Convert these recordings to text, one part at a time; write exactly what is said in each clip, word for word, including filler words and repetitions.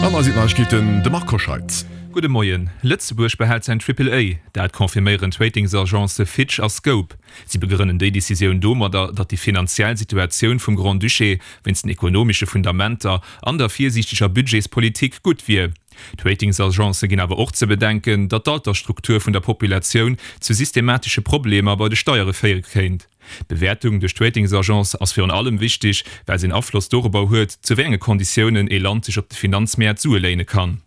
An hei sinn d'Neiegkeeten, de Marc Hoscheid. Gudde Moien. Lëtzebuerg behält säin Triple A. Dat confirméieren d'Ratingsagencë Fitch a Scope. Si begrënnen déi Decisioun domadder, datt déi finanziell Situatioun vum Grand-Duché wéinst den ekonomesche Fundamenter an der virsiichteger Budgetspolitik gutt wier. D'Ratingsagencë ginn awer och ze bedenken, datt d'Altersstruktur vun der Populatioun zu systematesche Problemer bei de Steiere féiere kéint. D'Bewäertung duerch d'Ratingsagence ass virun allem wichteg, well se en Afloss dorobber huet, zu wéi enge Konditiounen ee Land sech op de Finanzmäert Sue léine kann.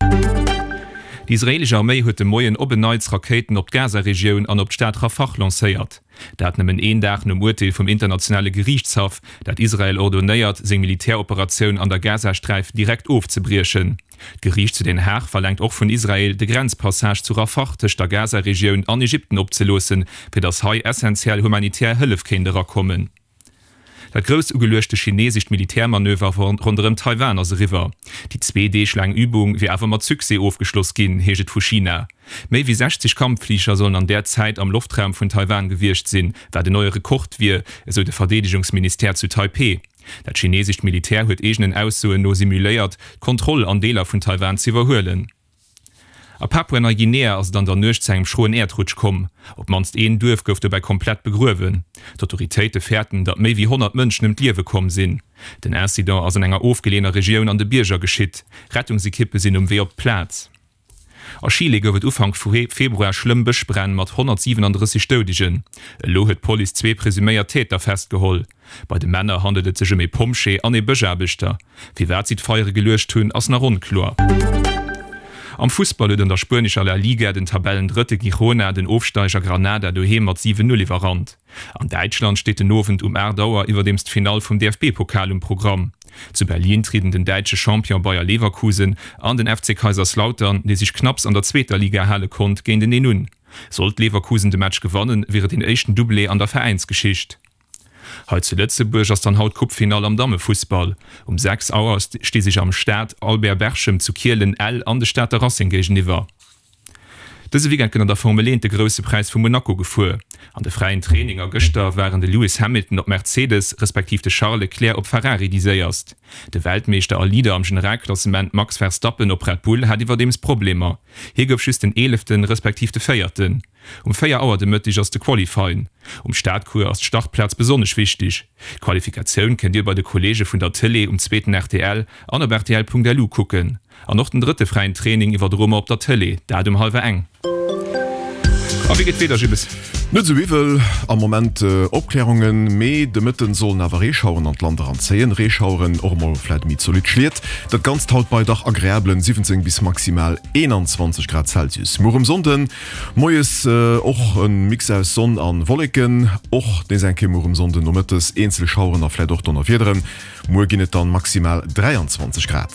Déi israeelesch Arméi huet de Moien op en Neits Rakéiten op d'Gaza-Regioun an op d'Stad Rafah lancéiert. Dat nëmmen een Dag nom Urteel vum Internationale Geriichtshaff, dat Israel ordonéiert, seng Militäroperatioun an der Gazasträif direkt ofzebriechen. D'Geriicht zu Den Haag verlaangt och vun Israel, de Grenzpassage zu Rafah tëscht der Gaza-Regioun an Ägypten opzeloossen, fir datt hei essentiell humanitär Hëllef kéint erakommen. Dat grouss ugeluechte chineesescht Militärmanöver ronderëm Taiwan ass eriwwer. Déi zwee Deeg laang Übung wier awer mat Succès ofgeschloss ginn, heescht et vu China. Méi wéi sechzeg Kampffliger sollen an där Zäit am Loftraum vun Taiwan gewiescht sinn, wat en neie Rekord wier, esou de Verdeedegungsministère zu Taipeh. Dat chineesescht Militär huet eegenen Aussoen no simuléiert, d'Kontroll an Deeler vun Taiwan z'iwwerhuelen. A Papua-Neiguinea ass et an der Nuecht zu engem schroen Äerdrutsch komm. Op d'mannst een Duerf gouf dobäi komplett begruewen. D'Autoritéite fäerten, datt méi wéi honnert Mënschen ëm d'Liewe komm sinn. Den Incident ass an enger ofgeleeëner Regioun an de Bierger geschitt. Rettungsekippe sinn um Wee op d'Plaz. A Chile gouf et Ufank Februar schlëmm Bëschbränn mat honnertsiwenandrësseg Doudegen. Elo huet d'Police zwee presuméiert Täter festgeholl. Bei de Männer handelt et sech ëm ee Pompjee an ee Bëschaarbechter. Firwat si d'Feiere geluecht hunn, ass nach onkloer. Am Fussball huet an der spuenescher La Liga den Tabellendrëtte Girona den Ofsteiger Granada doheem mat siwen Null iwwerrannt. An Däitschland steet den Owend um aacht Auer iwwerdeems d'Finall vum D F B-Pokal um Programm. Zu Berlin trieden den däitsche Champion Bayer Leverkusen an den F C Kaiserslautern, dee sech knapps an der zweeter Liga hale konnt, géinteneen un. Sollt Leverkusen de Match gewannen, wier et den éischten Doublé an der Veräinsgeschicht. Hei zu Lëtzebuerg ass dann haut d'Coupefinall am Dammefussball. Um sechs Auer sti sech am Stade Albert Berchem zu Kielen Ell an de Stater Racing géigeniwwer. Dëse Weekend gëtt an der Formel eent de Grousse Präis vu Monaco gefuer. An de fräien Traininger gëschter waren de Lewis Hamilton op Mercedes, respektiv de Charles Leclerc op Ferrari déi séierst. De Weltmeeschter a Leader am Generalklassement Max Verstappen op Red Bull hat iwwerdeems Problemer. Hie gouf just den Eeleften, respektiv de Véierten. Um véier Auer de Mëtteg ass de Qualifying. Um Stadcours ass d'Startplaz besonnesch wichteg. D'Qualifikatioun kënnt Dir bei de Kolleege vun der Tëlee um zweeten R T L an op R T L Punkt L U kucken. An och den drëtte fräien Training iwwerdroe mer op der Tëlee, dat um hallwer eng. A wéi geet d'Wieder, Jibbes? Net esou iwwel am Moment, Opklärungen, mee de Mëtten sollen awer Reeschaueren an d'Land eranzéien. Reeschaueren, och emol vläit méi zolidd Schliet. Dat Ganzt haut bei dach agreablen siwwenzéng bis maximal eenanzwanzeg Grad Celsius. Muer um Sonnden moies och e Mix aus Sonn an Wolleken, och nees eng Kéier muer um Sonnden nomëttes eenzel Schaueren a vläit och Donnerwiederen. Muer ginn et dann maximal dräianzwanzeg Grad.